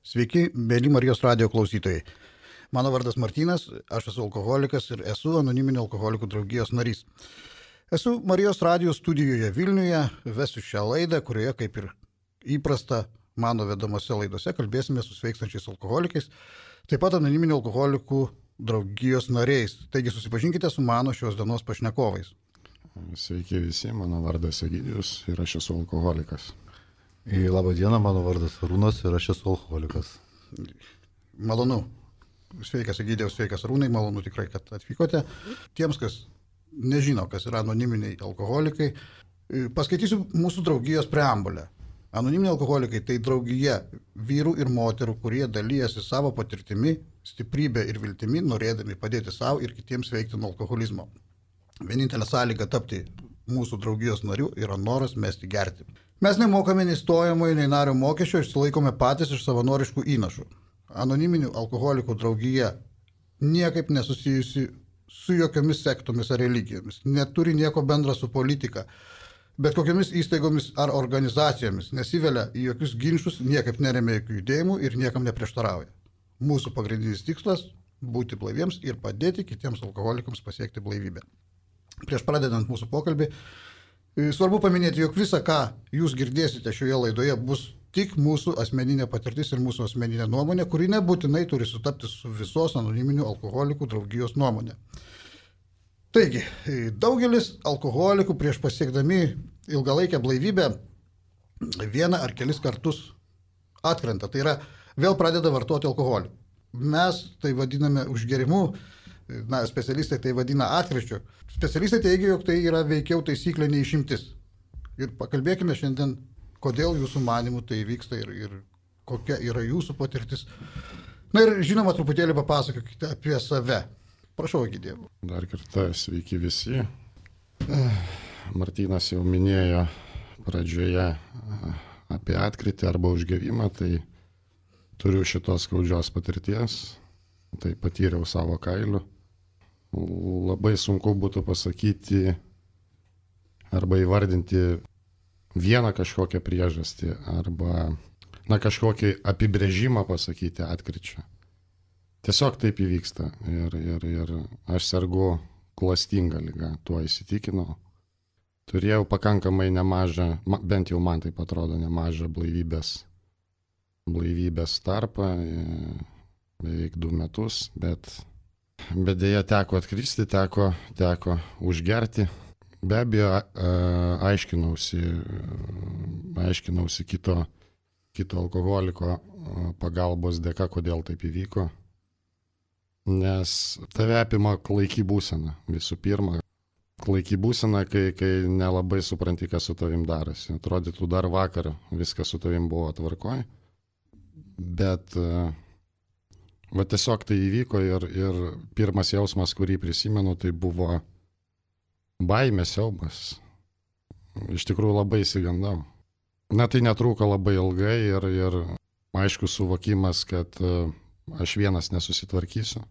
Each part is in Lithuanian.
Sveiki, mėly Marijos radijo klausytojai. Mano vardas Martynas, aš esu alkoholikas ir esu anoniminio alkoholikų draugijos narys. Esu Marijos radijo studijoje Vilniuje, vesiu šią laidą, kurioje, kaip ir įprasta mano vedamose laidose, kalbėsime su sveikstančiais alkoholikais, taip pat anoniminio alkoholikų draugijos nariais. Taigi susipažinkite su mano šios dienos pašnekovais. Sveiki visi, mano vardas Egidijus ir aš esu alkoholikas. Labą dieną, mano vardas Arūnas ir aš esu alkoholikas. Malonu. Sveikas Egidijus, sveikas Arūnai, malonu tikrai, kad atvykote. Tiems, kas nežino, kas yra anoniminiai alkoholikai, paskaitysiu mūsų draugijos preambulę. Anoniminiai alkoholikai tai draugija vyrų ir moterų, kurie dalyjasi savo patirtimi, stiprybę ir viltimi, norėdami padėti savo ir kitiems veikti nuo alkoholizmo. Vienintelė sąlyga tapti mūsų draugijos narių yra noras mesti gerti. Mes nemokame nei stojamojo, nei nario mokesčio, išsilaikome patys iš savanoriškų įnašų. Anoniminių alkoholikų draugija niekaip nesusijusi su jokiomis sektomis ar religijomis, neturi nieko bendra su politika, bet kokiamis įstaigomis ar organizacijomis, nesivelia į jokius ginčus, niekaip neremia jokių judėjimų ir niekam neprieštarauja. Mūsų pagrindinis tikslas – būti blaiviems ir padėti kitiems alkoholikams pasiekti blaivybę. Prieš pradedant mūsų pokalbį, svarbu paminėti, jog visa, ką jūs girdėsite šioje laidoje, bus tik mūsų asmeninė patirtis ir mūsų asmeninė nuomonė, kuri nebūtinai turi sutapti su visos anoniminių alkoholikų draugijos nuomonė. Taigi, daugelis alkoholikų prieš pasiekdami ilgalaikę blaivybę vieną ar kelis kartus atkrenta, tai yra vėl pradeda vartoti alkoholį. Mes tai vadiname užgerimu, specialistai tai vadina atkryčiu. Specialistai teigia, jog tai yra veikiau taisyklė nei išimtis. Ir pakalbėkime šiandien, kodėl jūsų manimų tai vyksta ir kokia yra jūsų patirtis. Na ir žinoma, truputėlį papasakokite apie save. Prašau, Egidijau. Dar kartą sveiki visi. Martynas jau minėjo pradžioje apie atkrytį arba užgevimą, tai turiu šitos skaudžios patirties. Tai patyriau savo kailiu. Labai sunku būtų pasakyti arba įvardinti vieną kažkokią priežastį arba kažkokį apibrėžimą pasakyti atkryčio. Tiesiog taip įvyksta ir aš sergu klastinga liga, tuo įsitikinau. Turėjau pakankamai nemažą, bent jau man taip atrodo, nemažą blaivybės tarpą, beveik 2 metus, bet dėja teko atkristi, teko užgerti. Be abejo, aiškinausi kito alkoholiko pagalbos dėka, kodėl taip įvyko. Nes tave apima klaiki būsena, visų pirma. Klaiki būsena, kai nelabai supranti, kas su tavim darosi. Atrodytų, dar vakar viskas su tavim buvo tvarkoj, bet tiesiog tai įvyko ir pirmas jausmas, kurį prisimenu, tai buvo baimė, siaubas. Iš tikrųjų labai išsigandau. Tai netruko labai ilgai ir aišku suvokimas, kad aš vienas nesusitvarkysiu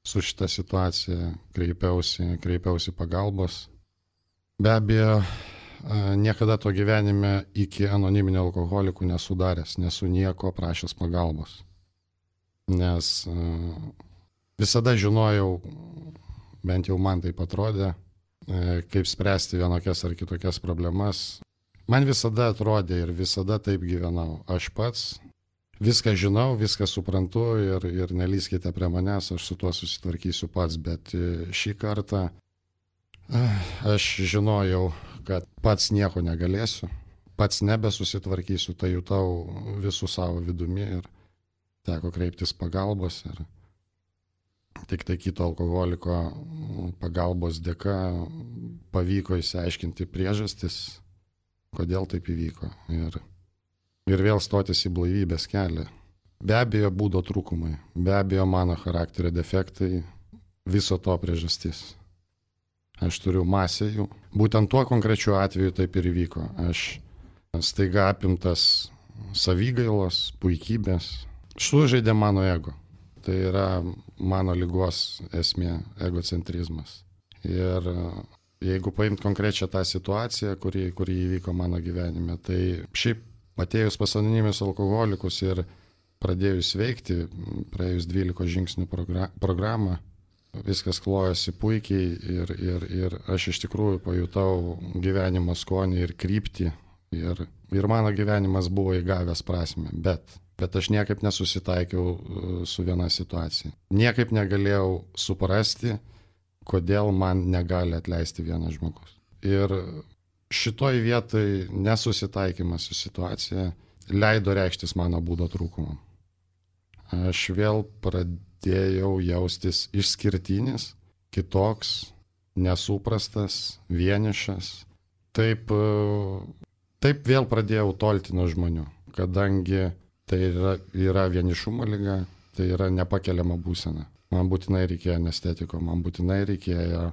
su šitą situaciją, kreipiausi pagalbos. Be abejo, niekada to gyvenime iki anoniminio alkoholikų nesudaręs, nesu nieko prašęs pagalbos. Nes visada žinojau, bent jau man taip atrodė, kaip spręsti vienokias ar kitokias problemas. Man visada atrodė ir visada taip gyvenau. Aš pats viską žinau, viską suprantu ir nelyskite prie manęs, aš su tuo susitvarkysiu pats, bet šį kartą aš žinojau, kad pats nieko negalėsiu, pats nebesusitvarkysiu, tai jutau visų savo vidumi ir teko kreiptis pagalbos ir tik tai kito alkoholiko pagalbos dėka pavyko išsiaiškinti priežastis, kodėl taip įvyko ir vėl stotis į blaivybės kelią. Be abejo būdo trūkumai, be abejo mano charakterio defektai, viso to priežastis. Aš turiu masę jų. Būtent tuo konkrečiu atveju taip ir įvyko. Aš staiga apimtas savigailos, puikybės, sužaidė mano ego. Tai yra mano ligos esmė, egocentrizmas. Ir jeigu paimt konkrečią tą situaciją, kuri įvyko mano gyvenime, tai šiaip atėjus pas anoniminius alkoholikus ir pradėjus veikti, praėjus 12 žingsnių programą, viskas klojosi puikiai ir aš iš tikrųjų pajutau gyvenimo skonį ir kryptį ir mano gyvenimas buvo įgavęs prasmę, bet aš niekaip nesusitaikiau su viena situacija. Niekaip negalėjau suprasti, kodėl man negali atleisti vienas žmogus. Ir šitoj vietoj nesusitaikymas su situacija leido reikštis mano būdo trūkumam. Aš vėl pradėjau jaustis išskirtinis, kitoks, nesuprastas, vienišas. Taip vėl pradėjau tolti nuo žmonių, kadangi tai yra vienišumo liga, tai yra nepakeliama būsena. Man būtinai reikėjo anestetiko, man būtinai reikėjo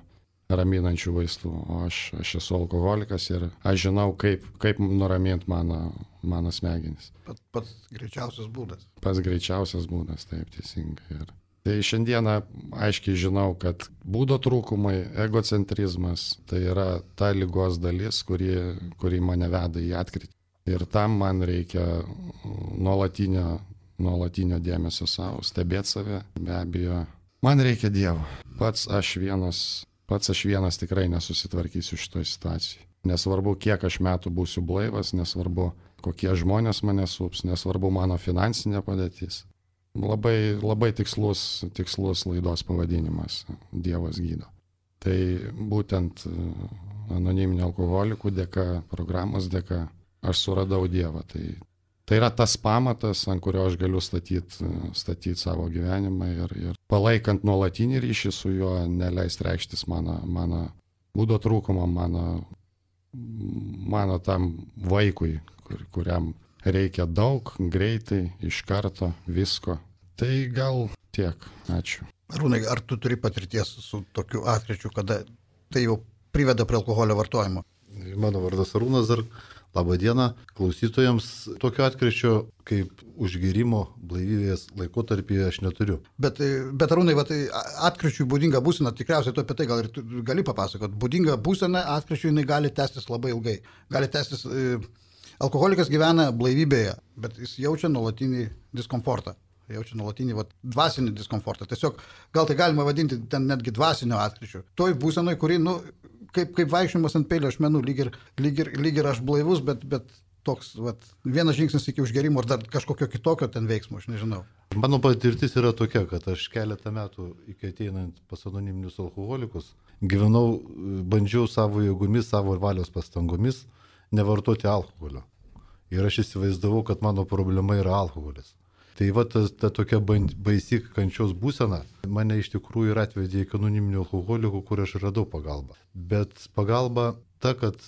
raminančių vaistų, o aš esu alkoholikas ir aš žinau, kaip nuraminti mano smegenis. Pats greičiausias būdas. Pats greičiausias būdas, taip teisingai. Tai šiandieną aiškiai žinau, kad būdo trūkumai, egocentrizmas, tai yra ta ligos dalis, kuri mane veda į atkritį. Ir tam man reikia nuolatinio dėmesio savo, stebėti save, be abejo. Man reikia Dievo. Pats aš vienas tikrai nesusitvarkysiu šitoje situacijoje. Nesvarbu, kiek aš metų būsiu blaivas, nesvarbu, kokie žmonės mane sups, nesvarbu mano finansinė padėtis. Labai tikslus laidos pavadinimas – Dievas gydo. Tai būtent anoniminių alkoholikų dėka, programos dėka aš suradau Dievą. Tai yra tas pamatas, ant kurio aš galiu statyti savo gyvenimą ir palaikant nuolatinį ryšį su juo, neleist reikštis mano būdo trūkumą, mano tam vaikui, kuriam reikia daug, greitai, iš karto, visko. Tai gal tiek. Ačiū. Arūnai, ar tu turi patirties su tokiu atkryčiu, kada tai jau priveda prie alkoholio vartojimo? Mano vardas Arūnas dar. Labą dieną klausytojams. Tokio atkryčio kaip užgėrimo blaivybės laikotarpyje aš neturiu. Bet Arūnai, atkryčiui būdinga būsena, tikriausiai tu apie tai gal ir gali papasakoti. Būdinga būsena atkryčiui jinai gali tęstis labai ilgai. Gali tęstis, alkoholikas gyvena blaivybėje, bet jis jaučia nuolatinį diskomfortą. Jaučia nuolatinį dvasinį diskomfortą. Tiesiog gal tai galima vadinti ten netgi dvasinio atkryčiu. Toj būsenoj, kuri, kaip vaikščiojimas ant peilio ašmenų, lyg ir aš blaivus, bet toks vienas žingsnis iki užgėrimo ar dar kažkokio kitokio ten veiksmo, aš nežinau. Mano patirtis yra tokia, kad aš keletą metų iki ateinant pas anoniminius alkoholikus gyvenau, bandžiau savo jėgomis, savo valios pastangomis nevartoti alkoholio. Ir aš įsivaizdavau, kad mano problema yra alkoholis. Tai ta tokia baisi kančios būsena mane iš tikrųjų ir atvedė iki anoniminių alkoholikų, kur aš radau pagalbą. Bet pagalba ta, kad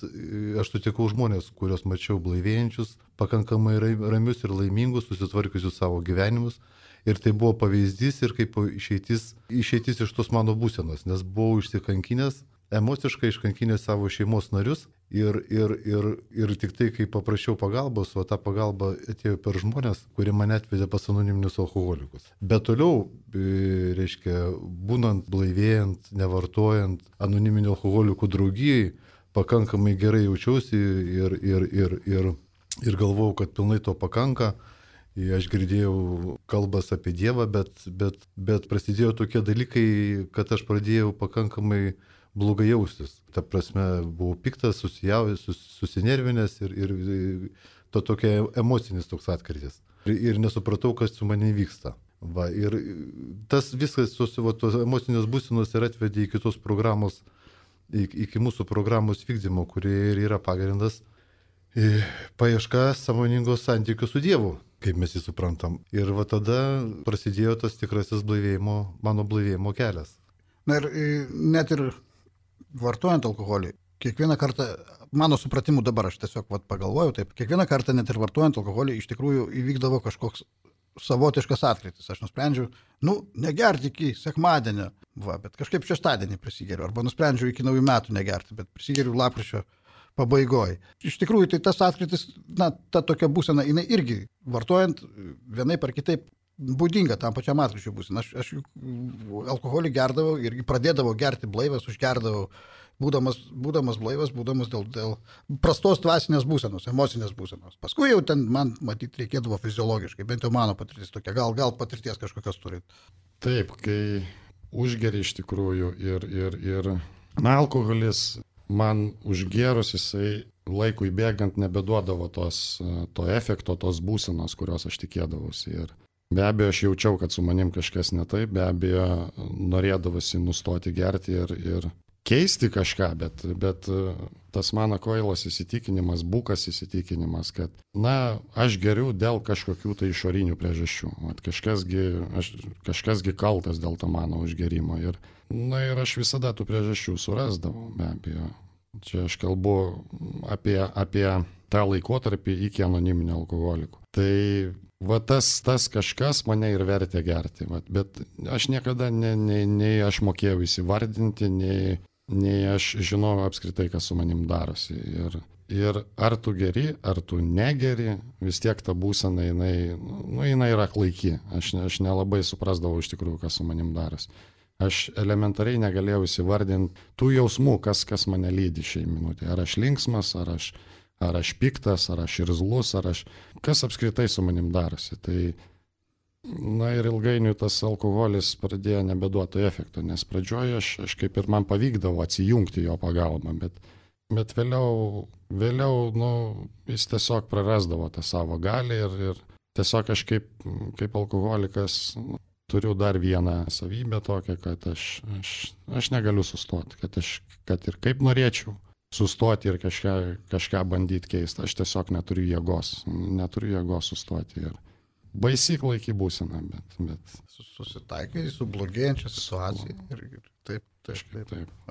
aš sutikau žmonės, kuriuos mačiau blaivėjančius, pakankamai ramius ir laimingus, susitvarkiusius savo gyvenimus. Ir tai buvo pavyzdys ir kaip išeitis iš tos mano būsenos, nes buvau išsikankinęs, emociškai iškankinęs savo šeimos narius ir tik tai, kai paprašiau pagalbos, o ta pagalba atėjo per žmonės, kurie mane atvedė pas anoniminius alkoholikus. Bet toliau, reiškia, būnant blaivėjant, nevartojant anoniminių alkoholikų draugijai, pakankamai gerai jaučiausi ir galvojau, kad pilnai to pakanka. Aš girdėjau kalbas apie Dievą, bet prasidėjo tokie dalykai, kad aš pradėjau pakankamai blogai jaustis. Ta prasme, buvau piktas, susinervinęs ir to tokia emocinis toks atkrytis. Ir nesupratau, kas su manimi vyksta. Ir tas viskas, tos emocinės būsenos ir atvedė iki tos programos, iki mūsų programos vykdymo, kurie ir yra pagrindas paieška sąmoningos santykių su Dievu, kaip mes jį suprantam. Ir tada prasidėjo tas tikrasis mano blaivėjimo kelias. Na ir net ir vartojant alkoholį, kiekvieną kartą, mano supratimu dabar, aš tiesiog pagalvoju taip, kiekvieną kartą net ir vartojant alkoholį iš tikrųjų įvykdavo kažkoks savotiškas atkrytis. Aš nusprendžiau, negerti iki sekmadienio, bet kažkaip šeštadienį prisigeriu, arba nusprendžiau iki naujų metų negerti, bet prisigeriu lapkričio pabaigoje. Iš tikrųjų, tai tas atkrytis, ta tokia būsena, jinai irgi vartojant vienaip ar kitaip būdinga tam pačiam atkryčiui būsena. Aš alkoholį gerdavau ir pradėdavau gerti blaivas, užgerdavau būdamas blaivas, būdamas dėl prastos dvasinės būsenos, emocinės būsenos. Paskui jau ten man, matyt, reikėdavo fiziologiškai, bent jau mano patirtis tokia, gal patirties kažkokios turit. Taip, kai užgeri iš tikrųjų ir alkoholis man užgerus, jisai laikui bėgant nebeduodavo to efekto, tos būsenos, kurios aš tikėdavausi. Ir be abejo, aš jaučiau, kad su manim kažkas ne taip, be abejo, norėdavosi nustoti gerti ir keisti kažką, bet tas mano kvailas įsitikinimas, bukas įsitikinimas, kad, aš geriu dėl kažkokių tai išorinių priežasčių. Kažkasgi kaltas dėl to mano užgerimo. Ir aš visada tų priežasčių surasdavau, be abejo. Čia aš kalbu apie tą laikotarpį iki anoniminio alkoholikų. Tai tas kažkas mane ir vertė gerti. Bet aš niekada nei aš mokėjau įsivardinti, nei aš žinojau apskritai, kas su manim darosi. Ir ar tu geri, ar tu negeri, vis tiek ta būsena, jinai yra klaiki. Aš nelabai suprasdavau iš tikrųjų, kas su manim darosi. Aš elementariai negalėjau įsivardinti tų jausmų, kas mane lydi šiai minutė. Ar aš linksmas, ar aš piktas, ar aš irzlus, kas apskritai su manim darosi. Tai, ir ilgainiui tas alkoholis pradėjo nebeduoti efekto, nes pradžioje aš kaip ir man pavykdavo atsijungti jo pagalbą, bet vėliau jis tiesiog prarasdavo tą savo galią ir tiesiog aš kaip alkoholikas turiu dar vieną savybę tokią, kad aš negaliu sustoti, kad ir kaip norėčiau sustoti ir kažką bandyti keisti, aš tiesiog neturiu jėgos sustoti. Ir baisi klaiki būsena, bet... Susitaikai su blogėjančia situacija ir taip.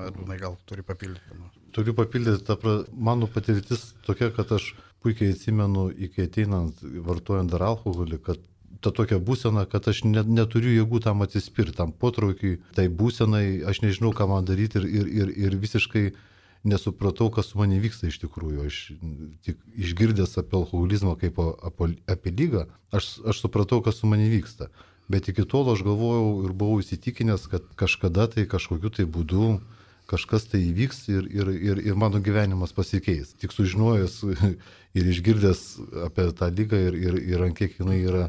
Arūnai, gal turi papildyti? Turiu papildyti, mano patirtis tokia, kad aš puikiai atsimenu, iki ateinant vartojant dar alkoholį, kad ta tokia būsena, kad aš neturiu jėgų tam atsispirti, tam potraukiui, tai būsenai, aš nežinau, ką man daryti ir visiškai nesupratau, kas su manimi vyksta iš tikrųjų. Aš tik išgirdęs apie alkoholizmą kaip apie ligą, aš supratau, kas su manimi vyksta. Bet iki tol aš galvojau ir buvau įsitikinęs, kad kažkada tai kažkokiu tai būdu kažkas tai įvyks ir mano gyvenimas pasikeis. Tik sužinojęs ir išgirdęs apie tą ligą ir ant kiek jinai yra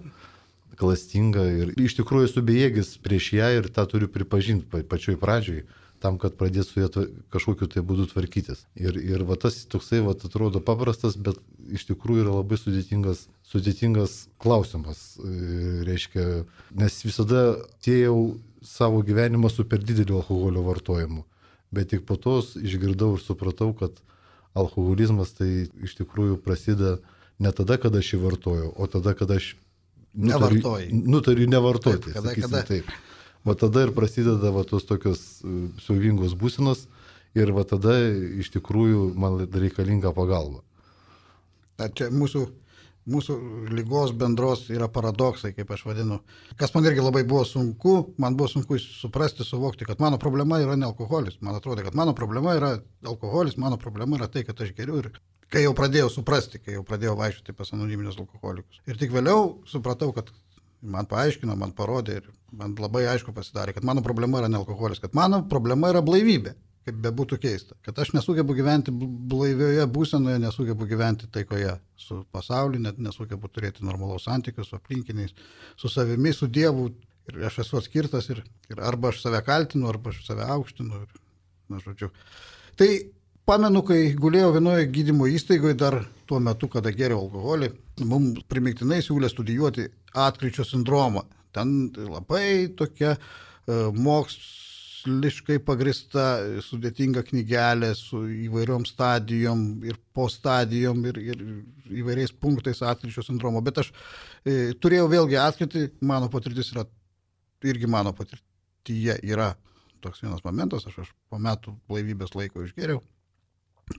klastinga ir iš tikrųjų esu bejėgis prieš ją ir tą turiu pripažinti pačioj pradžioj, tam, kad pradėt su ją kažkokiu tai būdu tvarkytis. Ir tas toksai atrodo paprastas, bet iš tikrųjų yra labai sudėtingas klausimas. Reiškia, nes visada siejau savo gyvenimą su per dideliu alkoholio vartojimu. Bet tik po to išgirdau ir supratau, kad alkoholizmas tai iš tikrųjų prasideda ne tada, kada aš jį vartoju, o tada, kada aš nutariu nevartoti. Taip, kada. Taip. Va tada ir prasideda tos tokios siaubingos būsenos ir va tada iš tikrųjų man reikalinga pagalba. Čia mūsų lygos bendros yra paradoksai, kaip aš vadinu. Kas man irgi labai buvo sunku, man buvo sunku suprasti, suvokti, kad mano problema yra ne alkoholis. Man atrodo, kad mano problema yra alkoholis, mano problema yra tai, kad aš geriu ir kai jau pradėjau suprasti, kai jau pradėjau vaikščioti pas anoniminius alkoholikus. Ir tik vėliau supratau, kad man paaiškino, man parodė ir man labai aišku pasidarė, kad mano problema yra ne alkoholis, kad mano problema yra blaivybė, kaip bebūtų keista. Kad aš nesugebu gyventi blaivioje būsenoje, nesugebu gyventi taikoje su pasauliu, net nesugebu turėti normalaus santykių su aplinkiniais, su savimi, su Dievu. Ir aš esu atskirtas ir arba aš save kaltinu, arba aš save aukštinu. Tai pamenu, kai gulėjau vienoje gydymo įstaigoje dar tuo metu, kada geriau alkoholį, mums primiktinai siūlė studijuoti atkryčio sindromą. Ten labai tokia moksliškai pagrįsta, sudėtinga knygelė su įvairiom stadijom ir po stadijom ir įvairiais punktais atkryčio sindromo. Bet aš turėjau vėlgi atkrytį, mano patirtis yra, irgi mano patirtyje yra toks vienas momentas, aš po metų blaivybės laiko išgėriau.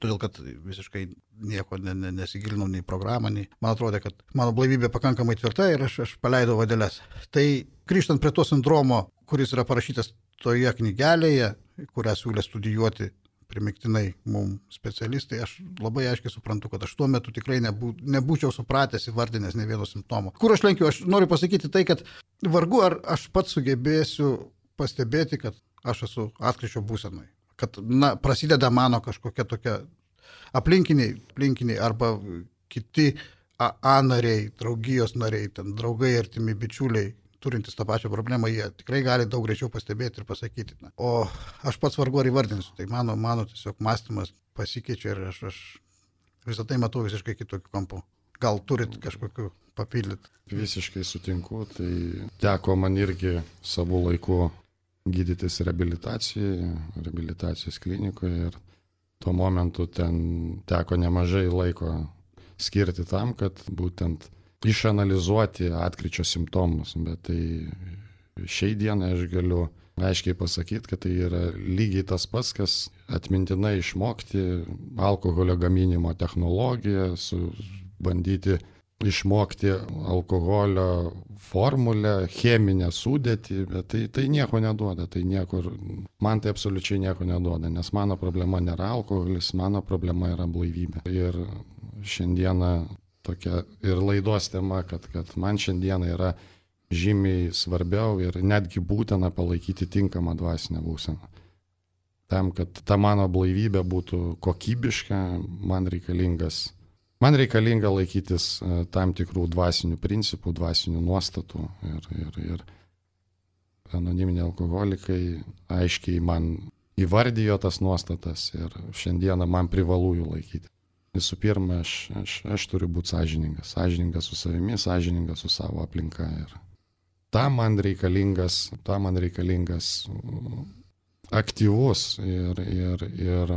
Todėl, kad visiškai nieko nesigilinau nei programą, nei man atrodė, kad mano blaivybė pakankamai tvirta ir aš paleidau vadeles. Tai grįžtant prie to sindromo, kuris yra parašytas toje knygelėje, kurią siūlė studijuoti primiktinai mums specialistai, aš labai aiškiai suprantu, kad aš tuo metu tikrai nebūčiau supratęs, įvardinęs ne vieno simptomo. Kur aš lenkiu? Aš noriu pasakyti tai, kad vargu ar aš pats sugebėsiu pastebėti, kad aš esu atkryčio būsenai. kad prasideda mano kažkokia tokia aplinkiniai arba kiti A nariai, draugijos nariai, ten draugai, artimi bičiuliai, turintys tą pačią problemą, jie tikrai gali daug greičiau pastebėti ir pasakyti. O aš pats vargu ar įvardinsiu, tai mano tiesiog mąstymas pasikeičia ir aš visą tai matau visiškai kitokiu kampu. Gal turit kažkokiu papildyti? Visiškai sutinku, tai teko man irgi savo laiku gydytis reabilitacijos klinikoje ir tuo momentu ten teko nemažai laiko skirti tam, kad būtent išanalizuoti atkryčio simptomus, bet tai šiai dienai aš galiu aiškiai pasakyti, kad tai yra lygiai tas pats, kas atmintinai išmokti alkoholio gaminimo technologiją, bandyti išmokti alkoholio formulę, cheminę sudėtį, bet tai nieko neduoda, man tai absoliučiai nieko neduoda, nes mano problema nėra alkoholis, mano problema yra blaivybė. Ir šiandieną tokia ir laidos tema, kad man šiandieną yra žymiai svarbiau ir netgi būtina palaikyti tinkamą dvasinę būseną. Tam, kad ta mano blaivybė būtų kokybiška, man reikalinga laikytis tam tikrų dvasinių principų, dvasinių nuostatų ir anoniminiai alkoholikai aiškiai man įvardijo tas nuostatas ir šiandieną man privalu jų laikyti. Visų pirma, aš turiu būti sąžiningas su savimi, sąžiningas su savo aplinka. Ir tam man reikalingas aktyvus ir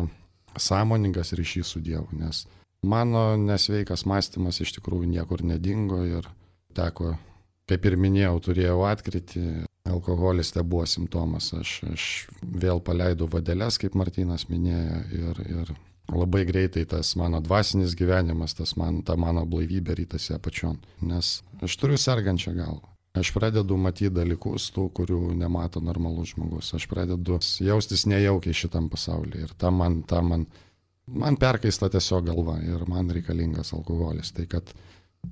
sąmoningas ryšys su Dievu, nes mano nesveikas mąstymas iš tikrųjų niekur nedingo ir teko, kaip ir minėjau, turėjau atkrytį, alkoholis tai buvo simptomas, aš vėl paleidau vadeles, kaip Martynas minėjo, ir labai greitai tas mano dvasinis gyvenimas, ta mano blaivybė rytasi apačion, nes aš turiu sergančią galvą. Aš pradedu matyti dalykus tų, kurių nemato normalus žmogus. Aš pradedu jaustis nejaukiai šitam pasaulyje ir man perkaista tiesiog galva ir man reikalingas alkoholis. Tai kad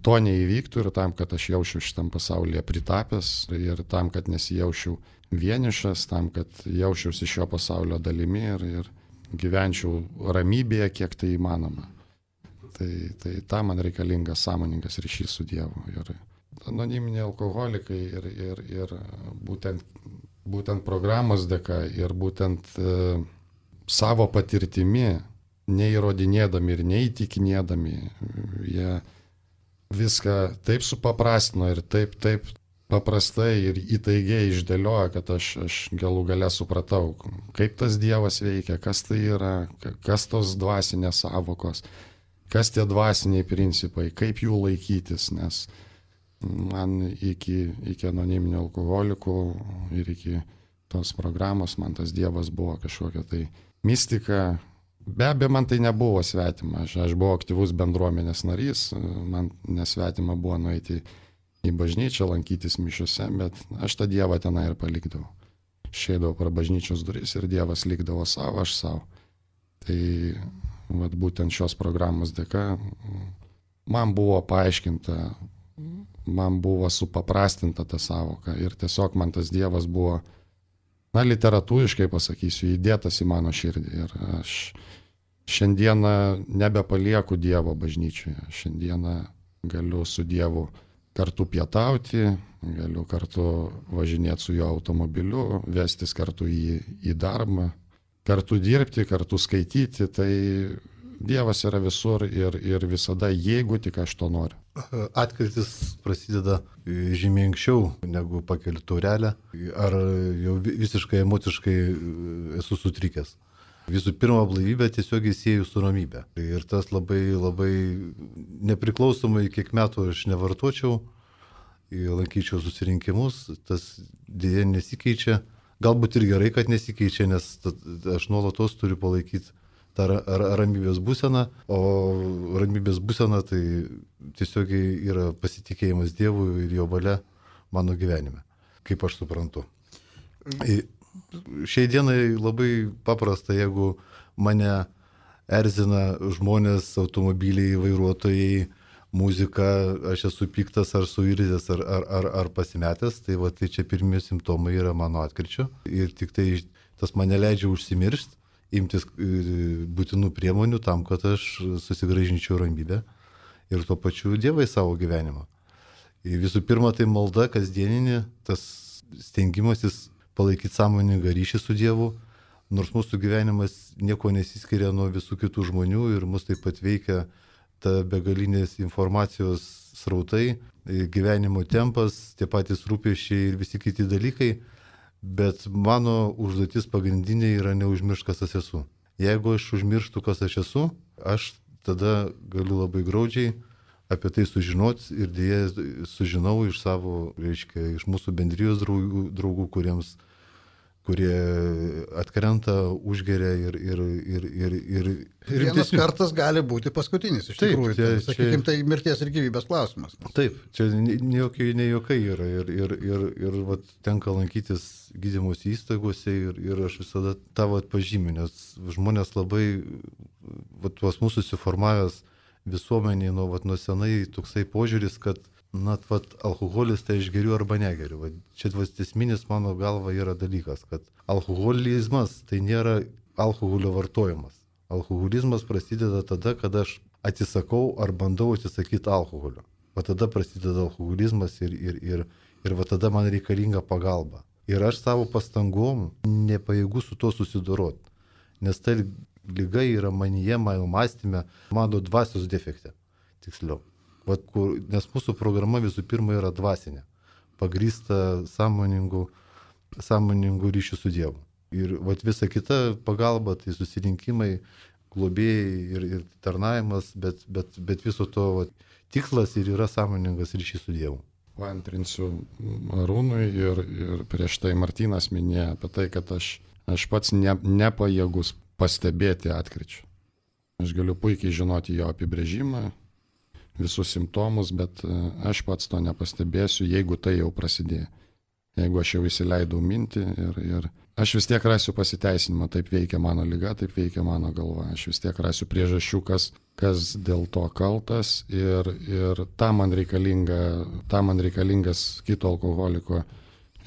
to neįvyktų ir tam, kad aš jausčiau šitam pasaulyje pritapęs ir tam, kad nesijaučiau vienišas, tam, kad jausčiausi šio pasaulio dalimi ir gyvenčiau ramybėje, kiek tai įmanoma. Tai tam man reikalingas sąmoningas ryšys su Dievu. Ir anoniminiai alkoholikai ir būtent programos dėka ir būtent savo patirtimi, neįrodinėdami ir neįtikinėdami, jie viską taip supaprastino ir taip paprastai ir įtaigiai išdėlioja, kad aš galų gale supratau, kaip tas Dievas veikia, kas tai yra, kas tos dvasinės savokos, kas tie dvasiniai principai, kaip jų laikytis, nes man iki anoniminių alkoholikų ir iki tos programos man tas Dievas buvo kažkokia tai mistika. Be abejo, man tai nebuvo svetima, aš buvau aktyvus bendruomenės narys, man nesvetima buvo nueiti į bažnyčią, lankytis mišiuose, bet aš tą Dievą tenai ir palikdavau. Išeidavau pro bažnyčios duris ir Dievas likdavo savo, aš savo. Tai būtent šios programos dėka man buvo paaiškinta, man buvo supaprastinta ta savoka ir tiesiog man tas Dievas buvo, literatūriškai pasakysiu, įdėtas į mano širdį ir aš šiandieną nebepalieku Dievo bažnyčioje, šiandieną galiu su Dievu kartu pietauti, galiu kartu važinėti su jo automobiliu, vestis kartu į darbą, kartu dirbti, kartu skaityti, tai Dievas yra visur ir visada, jeigu tik aš to noriu. Atkrytis prasideda žymiai anksčiau negu pakeliu taurelę, ar jau visiškai emociškai esu sutrikęs. Visų pirma, blaivybę tiesiog įsieju su ramybė. Ir tas labai nepriklausomai, kiek metų aš nevartočiau, lankyčiau susirinkimus, tas dėja nesikeičia. Galbūt ir gerai, kad nesikeičia, nes aš nuolatos turiu palaikyti tą ramybės būseną, o ramybės būsena tai tiesiog yra pasitikėjimas Dievu ir jo valia mano gyvenime, kaip aš suprantu. Šiai dienai labai paprasta, jeigu mane erzina žmonės, automobiliai, vairuotojai, muzika, aš esu piktas ar suirzęs ar pasimetęs, tai tai čia pirmieji simptomai yra mano atkryčio ir tik tai tas mane leidžia užsimiršti imtis būtinų priemonių tam, kad aš susigrąžinčiau ramybę ir tuo pačiu Dievą į savo gyvenimą. Visų pirma, tai malda kasdieninė, tas stengimasis palaikyti sąmoningą ryšį su Dievu, nors mūsų gyvenimas nieko nesiskiria nuo visų kitų žmonių ir mus taip pat veikia ta begalinės informacijos srautai, gyvenimo tempas, tie patys rūpesčiai ir visi kiti dalykai, bet mano užduotis pagrindinė yra neužmiršti, kas aš esu. Jeigu aš užmirštu, kas aš esu, aš tada galiu labai graudžiai apie tai sužinoti ir dėja sužinau iš savo, reiškia, iš mūsų bendrijos draugų, kurie atkrenta, užgeria ir vienas kartas gali būti paskutinis, iš tikrųjų. Sakykime, tai mirties ir gyvybės klausimas. Taip, čia ne jokai yra ir vat, tenka lankytis gydymosi įstaigose ir aš visada tavo atpažymiu, nes žmonės labai, vat, tuos mūsų susiformavęs visuomeniai nuo senai toksai požiūris, kad alkoholis tai aš geriu arba negeriu. Čia esminis mano galva yra dalykas, kad alkoholizmas tai nėra alkoholio vartojimas. Alkoholizmas prasideda tada, kada aš atsisakau ar bandau atsisakyti alkoholio. Va tada prasideda alkoholizmas ir va tada man reikalinga pagalba. Ir aš savo pastangom nepajėgu su to susidoroti, nes ta liga yra manyje, mano mąstyme, mano dvasios defekte, tiksliau. Nes mūsų programa visų pirma yra dvasinė, pagrįsta sąmoningų ryšių su Dievu. Ir visa kita pagalba, tai susirinkimai, globėjai ir tarnavimas, bet viso to tikslas ir yra sąmoningas ryšys su Dievu. Antrinsiu Arūnui ir prieš tai Martynas minėjo apie tai, kad aš pats nepajėgus pastebėti atkryčių. Aš galiu puikiai žinoti jo apibrėžimą, visus simptomus, bet aš pats to nepastebėsiu, jeigu tai jau prasidėjo. Jeigu aš jau įsileidau mintį ir aš vis tiek rasiu pasiteisinimą, taip veikia mano liga, taip veikia mano galva. Aš vis tiek rasiu priežasčių, kas dėl to kaltas ir tam man reikalingas kito alkoholiko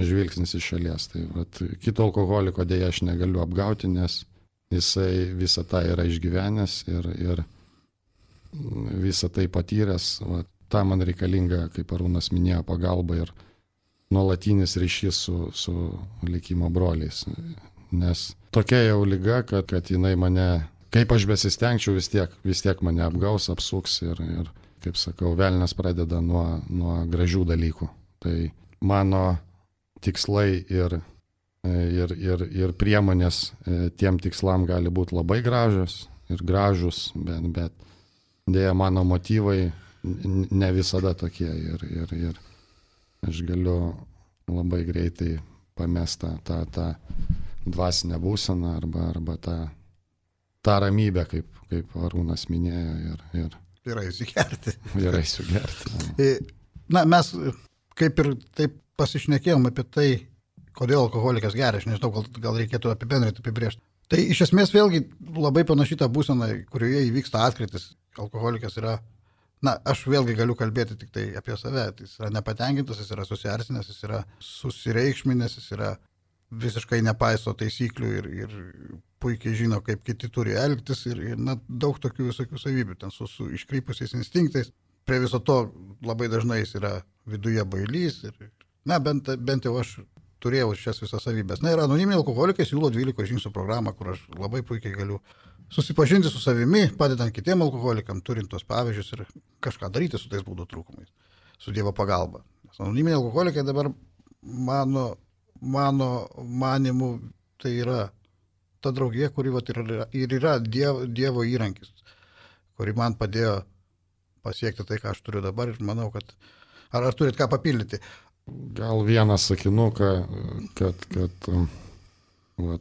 žvilgsnis iš šalies. Tai kito alkoholiko dėja aš negaliu apgauti, nes jisai visą tą yra išgyvenęs ir visą tai patyręs, tam man reikalinga, kaip Arūnas minėjo, pagalba ir nuolatinis ryšys su likimo broliais. Nes tokia jau liga, kad jinai mane, kaip aš besistengčiau, vis tiek mane apgaus, apsuks ir kaip sakau, velnias pradeda nuo gražių dalykų. Tai mano tikslai ir priemonės tiem tikslam gali būti labai gražios, bet dėja mano motyvai ne visada tokie ir aš galiu labai greitai pamesti tą dvasinę būseną arba tą ramybę, kaip Arūnas minėjo. Yra įsigerti. Mes kaip ir taip pasišnekėjom apie tai, kodėl alkoholikas geria, aš nežinau, gal reikėtų apibrėžti. Tai iš esmės vėlgi labai panaši ta būsena, kurioje įvyksta atkrytis. Alkoholikas yra, aš vėlgi galiu kalbėti tik tai apie save. Jis yra nepatenkintas, jis yra susierzinęs, jis yra susiriekšminęs, jis yra visiškai nepaiso taisyklių ir puikiai žino, kaip kiti turi elgtis ir daug tokių visokių savybių, ten su iškrypusiais instinktais. Prie viso to labai dažnai jis yra viduje bailys ir, bent jau aš turėjau šias visas savybės. Ir anoniminiai alkoholikai siūlo 12 žingsnių programą, kur aš labai puikiai galiu susipažinti su savimi, padedant kitiem alkoholikam, turint tos pavyzdžius ir kažką daryti su tais būdų trūkumais, su Dievo pagalba. Nes anoniminiai alkoholikai dabar mano manimu tai yra ta draugija, kuri ir yra Dievo įrankis, kuri man padėjo pasiekti tai, ką aš turiu dabar ir manau, kad ar turit ką papildyti? Gal vieną sakinuką, kad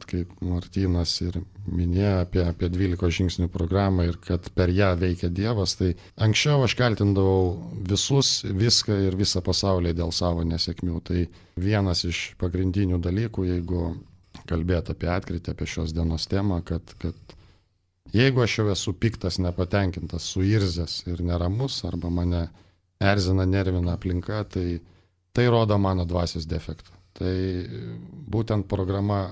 kaip Martynas ir minėjo apie 12 žingsnių programą ir kad per ją veikia Dievas, tai anksčiau aš kaltindavau viską ir visą pasaulį dėl savo nesėkmių. Tai vienas iš pagrindinių dalykų, jeigu kalbėt apie atkrytį, apie šios dienos temą, kad jeigu aš jau esu piktas, nepatenkintas, suirzęs ir neramus, arba mane erzina, nervina aplinka, tai rodo mano dvasios defektą. Tai būtent programa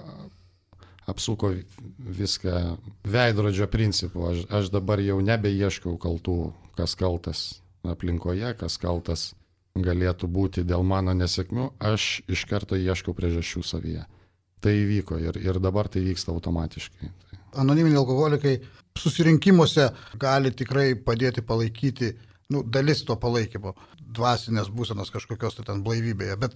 apsuko viską veidrodžio principu. Aš dabar jau nebeieškau kaltų, kas kaltas aplinkoje, kas kaltas galėtų būti dėl mano nesėkmių. Aš iš karto ieškau priežasčių savyje. Tai įvyko ir dabar tai vyksta automatiškai. Anoniminiai alkoholikai susirinkimuose gali tikrai padėti palaikyti, dalis to palaikymo, dvasinės būsenos kažkokios tai ten blaivybėje. Bet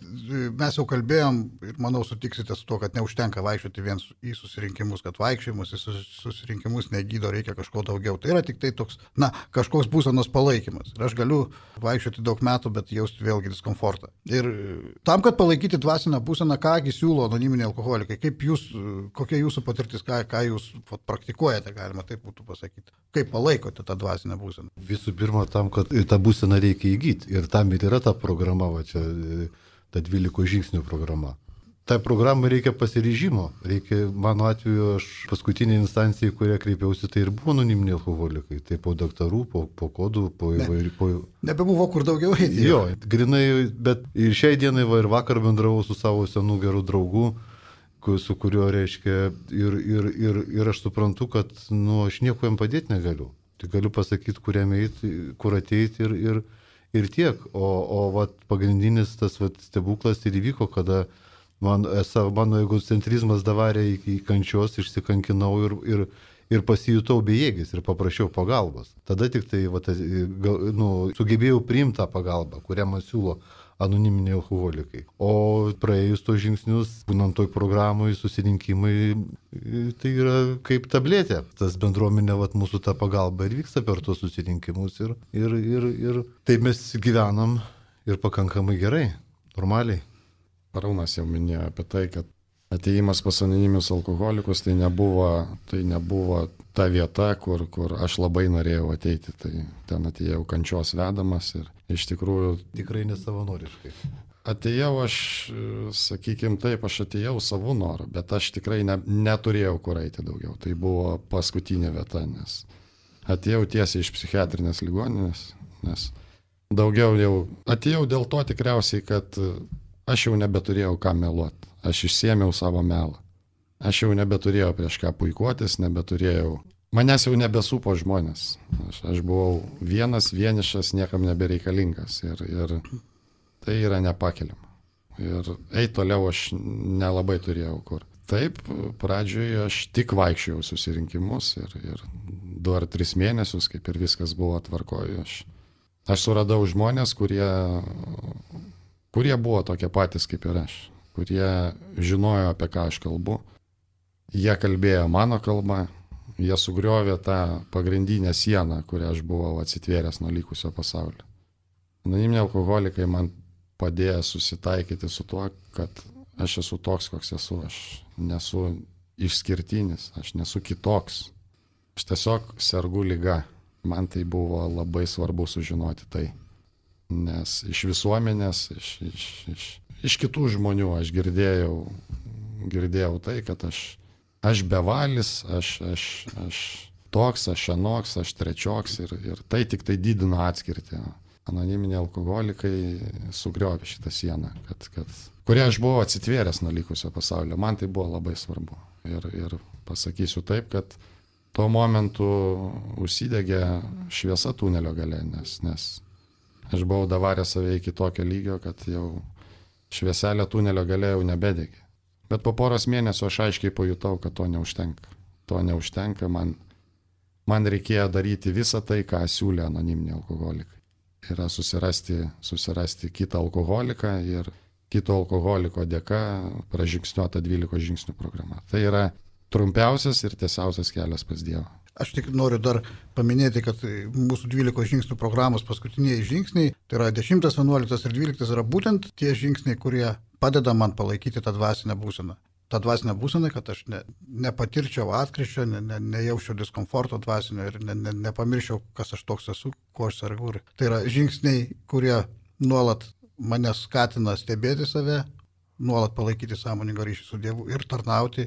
mes jau kalbėjom ir manau sutiksite su to, kad neužtenka vaikščioti vien į susirinkimus, kad vaikščiojimus į susirinkimus negydo, reikia kažko daugiau. Tai yra tik tai toks, kažkoks būsenos palaikymas. Ir aš galiu vaikščioti daug metų, bet jausti vėlgi diskomfortą. Ir tam, kad palaikyti dvasinę būseną, kągi siūlo anoniminiai alkoholikai, kokia jūsų patirtis, ką jūs praktikuojate, galima taip būtų pasakyti. Kaip palaikote tą dvasinę būseną? Visų pirma, tam, kad tą būseną reikia įgyti. Ir tam ir yra ta programa, ta 12 žingsnių programa. Tai programai reikia pasiryžimo. Mano atveju, aš paskutinė instancija, į kurią kreipiausi, tai ir buvo anoniminiai alkoholikai. Tai po daktarų, po kodų, po įvairių. Nebebuvo kur daugiau eiti. Jo, grinai, bet ir šiai dienai ir vakar bendravau su savo senų gerų draugų, su kuriuo reiškia ir aš suprantu, kad aš nieko jam padėti negaliu. Tai galiu pasakyti, kur ateiti ir tiek. O pagrindinis tas stebuklas ir įvyko, kada mano egocentrizmas davarė iki kančios, išsikankinau ir pasijutau bejėgis ir paprašiau pagalbos. Tada tik tai sugebėjau priimti tą pagalbą, kurią man siūlo anoniminiai alkoholikai. O praėjus tos žingsnius, būnant toj programai, susirinkimai, tai yra kaip tabletė. Tas bendruomenė, mūsų ta pagalba ir vyksta per tos susirinkimus ir taip mes gyvenam ir pakankamai gerai, normaliai. Arūnas jau minėjo apie tai, kad atėjimas pas anoniminius alkoholikus tai nebuvo ta vieta, kur aš labai norėjau ateiti. Tai ten atėjau kančios vedamas ir iš tikrųjų... Tikrai nesavanoriškai. Atėjau aš, sakykime taip, aš atėjau savo norą, bet aš tikrai neturėjau kur eiti daugiau. Tai buvo paskutinė vieta, nes atėjau tiesiai iš psichiatrinės ligoninės, nes daugiau jau atėjau dėl to tikriausiai, kad aš jau nebeturėjau ką meluoti. Aš išsėmiau savo melą. Aš jau nebeturėjau prieš ką puikuotis, manęs jau nebesupo žmonės. Aš buvau vienišas, niekam nebereikalingas ir tai yra nepakeliama. Ir eiti toliau aš nelabai turėjau kur. Taip, pradžioje aš tik vaikščiojau susirinkimus ir 2 ar 3 mėnesius, kaip ir viskas buvo tvarkoje. Aš suradau žmonės, kurie buvo tokie patys kaip ir aš, kurie žinojo, apie ką aš kalbu. Jie kalbėjo mano kalbą, jie sugriovė tą pagrindinę sieną, kurią aš buvau atsitvėręs nuo likusio pasaulio. Anoniminiai alkoholikai man padėjo susitaikyti su tuo, kad aš esu toks, koks esu. Aš nesu išskirtinis, aš nesu kitoks. Aš tiesiog sergu liga. Man tai buvo labai svarbu sužinoti tai. Nes iš visuomenės, iš kitų žmonių aš girdėjau tai, kad aš bevalis, aš toks, aš anoks, aš trečioks ir tai tik tai didina atskirtį. Anoniminiai alkoholikai sugriovė šitą sieną, kurią aš buvau atsitvėręs nuo likusio pasaulio. Man tai buvo labai svarbu. Ir pasakysiu taip, kad tuo momentu užsidegė šviesa tunelio gale, nes aš buvau davaręs save iki tokio lygio, kad jau švieselė tunelio gale jau nebedegė. Bet po poros mėnesių aš aiškiai pajutau, kad to neužtenka. To neužtenka, man reikėjo daryti visą tai, ką siūlė anoniminiai alkoholikai. Yra susirasti kitą alkoholiką ir kito alkoholiko dėka pražingsniuota 12 žingsnių programa. Tai yra trumpiausias ir tiesiausias kelias pas Dievą. Aš tik noriu dar paminėti, kad mūsų 12 žingsnių programos paskutiniai žingsniai, tai yra 10, 11 ir 12 yra būtent tie žingsniai, kurie padeda man palaikyti tą dvasinę būseną. Ta dvasinė būsena, kad aš nepatirčiau atkryčio, nejaučiau diskomforto dvasinio ir nepamirščiau, kas aš toks esu, ko aš sergu. Tai yra žingsniai, kurie nuolat mane skatina stebėti save, nuolat palaikyti sąmoningą ryšį su Dievu ir tarnauti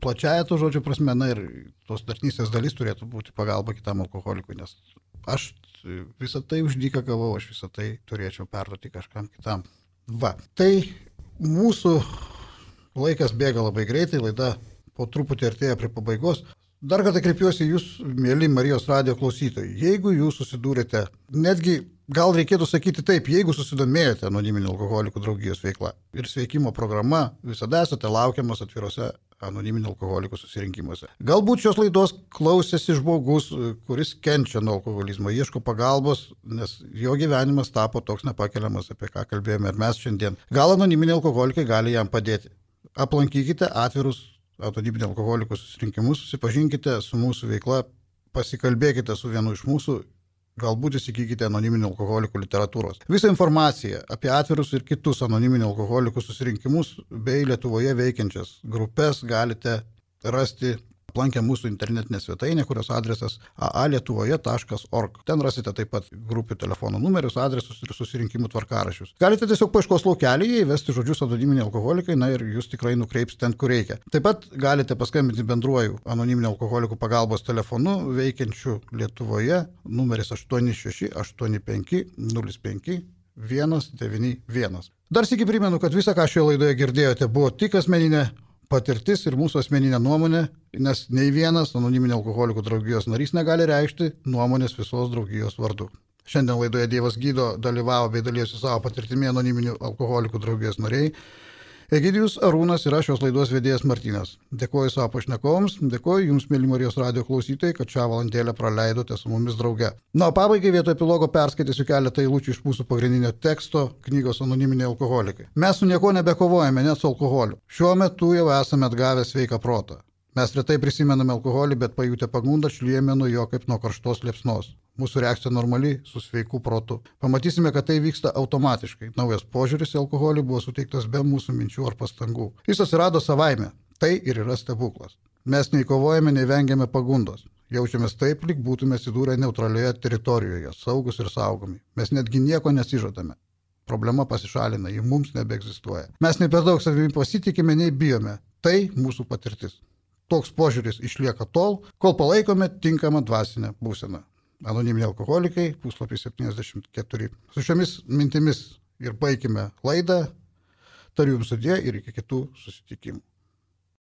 plačiaja to žodžio prasme, ir tos tarnystės dalis turėtų būti pagalba kitam alkoholikui, nes aš visą tai už dyką gavau, aš visą tai turėčiau perduoti kažkam kitam. Va, tai mūsų laikas bėga labai greitai, laida po truputį artėja prie pabaigos. Dar kartą kreipiuosi jūs, mėly Marijos radijo klausytojai. Jeigu jūs susidūrėte, netgi gal reikėtų sakyti taip, jeigu susidomėjote Anoniminių alkoholikų draugijos veikla ir sveikimo programa, visada esate laukiamas atvirose Anoniminių alkoholikų susirinkimuose. Galbūt šios laidos klausėsi žmogus, kuris kenčia nuo alkoholizmo, ieško pagalbos, nes jo gyvenimas tapo toks nepakeliamas, apie ką kalbėjome ir mes šiandien. Gal Anoniminiai alkoholikai gali jam padėti. Aplankykite atvirus Anoniminių alkoholikų susirinkimus, susipažinkite su mūsų veikla, pasikalbėkite su vienu iš mūsų, galbūt įsigykite Anoniminių alkoholikų literatūros. Visą informaciją apie atvirus ir kitus Anoniminių alkoholikų susirinkimus bei Lietuvoje veikiančias grupės galite rasti aplankę mūsų internetinę svetainę, kurios adresas aalietuvoje.org. Ten rasite taip pat grupių telefono numerius, adresus ir susirinkimų tvarkaraščius. Galite tiesiog paieškos laukelyje įvesti žodžius Anoniminiai alkoholikai, ir jūs tikrai nukreips ten, kur reikia. Taip pat galite paskambinti bendruoju Anoniminių alkoholikų pagalbos telefonu veikiančiu Lietuvoje, numeris 86 85 05 191. Dar sykį primenu, kad visą, ką šioje laidoje girdėjote, buvo tik asmeninė patirtis ir mūsų asmeninė nuomonė, nes nei vienas Anoniminių alkoholikų draugijos narys negali reikšti nuomonės visos draugijos vardu. Šiandien laidoje Dievas gydo dalyvavo bei dalyjosi savo patirtimi Anoniminių alkoholikų draugijos nariai Egidijus Arūnas ir aš šios laidos vedėjas Martynas. Dėkoju savo pašnekovams, dėkoju jums, mėly Marijos radijo klausytojai, kad šią valandėlę praleidote su mumis drauge. Na, o pabaigai vietoj epilogo perskaitysiu keletą eilučių iš mūsų pagrindinio teksto knygos Anoniminiai alkoholikai. Mes su nieko nebekovojame, net su alkoholiu. Šiuo metu jau esame atgavę sveiką protą. Mes retai prisimename alkoholį, bet pajutę pagundą šliejame nuo jo kaip nuo karštos liepsnos. Mūsų reakcija normali su sveiku protu. Pamatysime, kad tai vyksta automatiškai. Naujas požiūris į alkoholį buvo suteiktas be mūsų minčių ar pastangų. Jis atsirado savaime. Tai ir yra stebuklas. Mes nei kovojame, nei vengiame pagundos. Jaučiamės taip, lyg būtume atsidūrę neutralioje teritorijoje, saugus ir saugomi. Mes netgi nieko nesižadame. Problema pasišalina, ji mums nebeegzistuoja. Mes ne per daug savimi pasitikime, nei bijome. Tai mūsų patirtis. Toks požiūris išlieka tol, kol palaikome tinkamą dvasinę būseną. Anoniminiai alkoholikai, puslapis 74. Su šiomis mintimis ir baigime laidą. Tariu jums sudie ir iki kitų susitikimų.